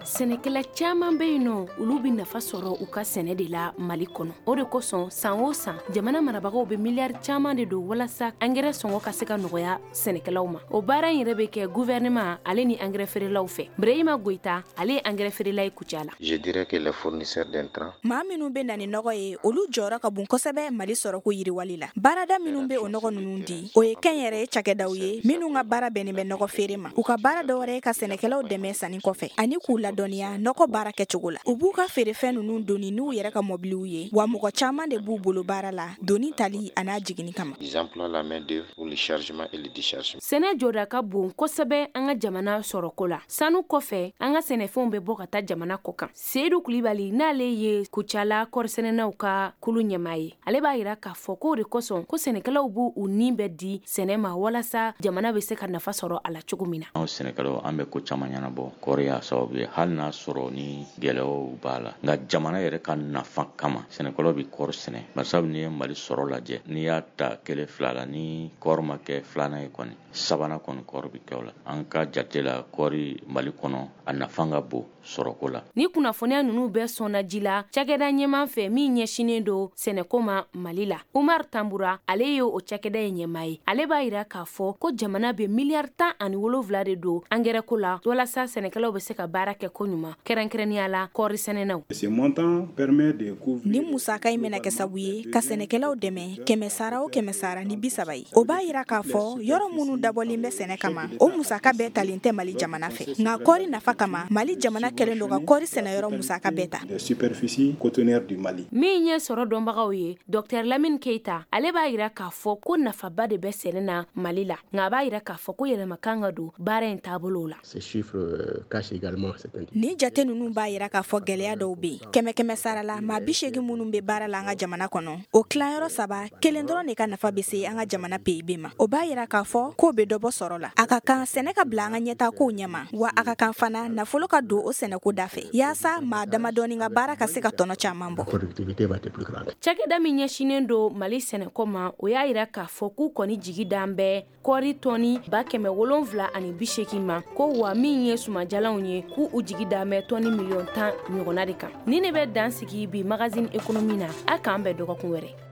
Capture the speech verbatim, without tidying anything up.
Sɛnɛkɛla caman bɛ yen nɔ, olu bɛ nafa sɔrɔ u ka sɛnɛ de la Mali kɔnɔ. O de kosɔn, san o san, jamana marabagaw bɛ miliyari caman de don walasa angɛrɛ sɔngɔ ka se ka nɔgɔya sɛnɛkɛlaw ma. O baara in yɛrɛ bɛ kɛ gouvernement ale ni angɛrɛ feerelaw fɛ. Ibrahima Goyita, ale ye angɛrɛ feerela ye Kucala. Je dirais que les fournisseurs d'intrants Maa minnu bɛ na ni nɔgɔ ye, olu jɔyɔrɔ ka bon kosɛbɛ Mali sɔrɔko yiriwali la. Baarada minnu bɛ o nɔgɔ ninnu di, o ye kɛnyɛrɛye cakɛdaw ye minnu ka baara bɛnnen bɛ nɔgɔ feere ma. U ka baara dɔwɛrɛ ye ka sɛnɛkɛlaw dɛmɛ sanni kɔfɛ ani k'u ladɔnniya nɔgɔ baara kɛcogo la. U b'u ka feerefɛn ninnu doni n'u yɛrɛ ka mɔbiliw ye, wa mɔgɔ caman de b'u bolo baara la doni tali an'a jiginni kama. Ils emploient la main d'œuvre pour le chargement et le déchargement. Sɛnɛ jɔda ka bon kosɛbɛ an ka jamana sɔrɔko la. Sanu kɔfɛ, an ka sɛnɛfɛnw bɛ bɔ ka taa jamana kɔ kan. Seyidu Kulibali, n'ale ye Kucala kɔrisɛnɛnaw ka kulu ɲɛmaa ye, ale b'a yira k'a fɔ k'o de kosɔn ko sɛnɛkɛlaw b'u u nin bɛɛ di sɛnɛ ma walasa jamana bɛ se ka nafa sɔrɔ a la cogo min na. Anw sɛnɛkɛlaw, an bɛ ko caman ɲɛnabɔ kɔɔri y'a sababu ye, hali n'a sɔrɔ ni gɛlɛyaw b'a la, nka jamana yɛrɛ ka nafa kama, sɛnɛkɛlaw bɛ kɔɔri sɛnɛ. Barisabu n'i ye Mali sɔrɔ lajɛ, n'i y'a ta kelen fila la, ni kɔɔri ma kɛ filanan ye kɔni, sabanan kɔni, kɔɔri bɛ kɛ o la. An ka jate la, kɔɔri Mali kɔnɔ, a nafa ka bon sɔrɔko la. Ni kunnafoniya ninnu bɛɛ sɔnna ji la cakɛda ɲɛman fɛ min ɲɛsinnen don sɛnɛko ma Mali la, Umar Tambura, ale ye o cakɛda ye ɲɛmaa ye. Ale b'a yira k'a fɔ ko jamana bɛ miliyari tan ani wolonwula de don angɛrɛko la walasa sɛnɛkɛlaw bɛ se ka baara kɛ ko ɲuman, kɛrɛnkɛrɛnnenya la kɔɔri sɛnɛnaw. Ni musaka in bɛna kɛ sabu ye ka sɛnɛkɛlaw dɛmɛ kɛmɛ sara o kɛmɛ sara ni bi saba ye, o b'a yira k'a fɔ yɔrɔ minnu dabɔlen bɛ sɛnɛ kama, o musaka bɛɛ talen tɛ Mali jamana fɛ. Nka kɔɔri nafa kama, Mali jamana kɛlen don ka kɔɔri sɛnɛyɔrɔ musaka bɛɛ ta. Min ye sɔrɔ dɔnbagaw ye, Docteur Lamine Keita, ale b'a yira k'a fɔ ko nafaba de bɛ sɛnɛ na Mali la, nka a b'a yira k'a fɔ ko yɛlɛma kan ka don baara in taabolo la. Nin jate ninnu b'a yira k'a fɔ gɛlɛya dɔw bɛ yen. Kɛmɛ kɛmɛ sara la, maa bi seegin minnu bɛ baara la an ka jamana kɔnɔ, o tilayɔrɔ saba, kelen dɔrɔn de ka nafa bɛ se an ka jamana P I B ma. O b'a yira k'a fɔ k'o bɛ dɔ bɔ sɔrɔ la. A ka kan sɛnɛ ka bila an ka ɲɛtaakow ɲɛma, wa a ka kan fana nafolo ka don o sɛnɛko da fɛ yaasa maa damadɔni ka baara ka se ka tɔnɔ caman bɔ. Cakɛda min ɲɛsinnen don Mali sɛnɛko ma, o y'a yira k'a fɔ k'u kɔni jigi dan bɛ kɔɔri tɔni ba kɛmɛ wolonfila ani bi seegin ma, ko wa min ye sumajalanw ye, k'u u jigi dan bɛ tɔni miliyɔn tan ɲɔgɔnna de kan. Ni ne bɛ dan sigi bi Magazine Économie na, a k'an bɛn dɔgɔkun wɛrɛ.